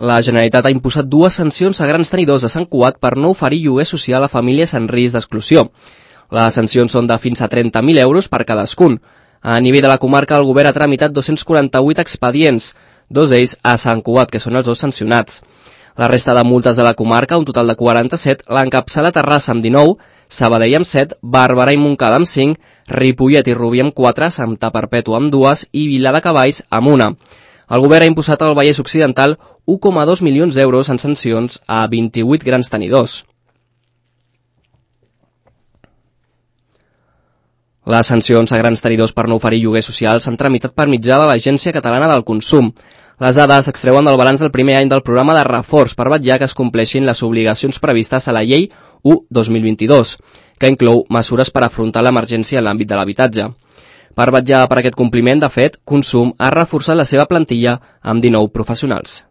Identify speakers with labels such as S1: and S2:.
S1: La Generalitat ha imposat 2 sancions a grans tenidors de Sant Cugat per no oferir lloguer social a famílies en risc d'exclusió. Les sancions són de fins a 30.000 euros per cadascun. A nivell de la comarca, el govern ha tramitat 248 expedients, 2 d'ells a Sant Cugat, que són els 2 sancionats. La resta de multes de la comarca, un total de 47, l'encapçala Terrassa amb 19, Sabadell amb 7, Barberà i Montcada amb 5, Ripollet i Rubí amb 4, Santa Perpètua amb 2 i Vilar de Cavalls amb 1. El govern ha imposat al Vallès Occidental 1,2 milions d'euros en sancions a 28 grans tenidors. Les sancions a grans tenidors per no oferir lloguer social s'han tramitat per mitjà de l'Agència Catalana del Consum. Les dades s'extreuen del balanç del primer any del programa de reforç per vetllar que es compleixin les obligacions previstes a la Llei 1/2022, que inclou mesures per afrontar l'emergència en l'àmbit de l'habitatge. Per vetllar per aquest compliment, de fet, Consum ha reforçat la seva plantilla amb 19 professionals.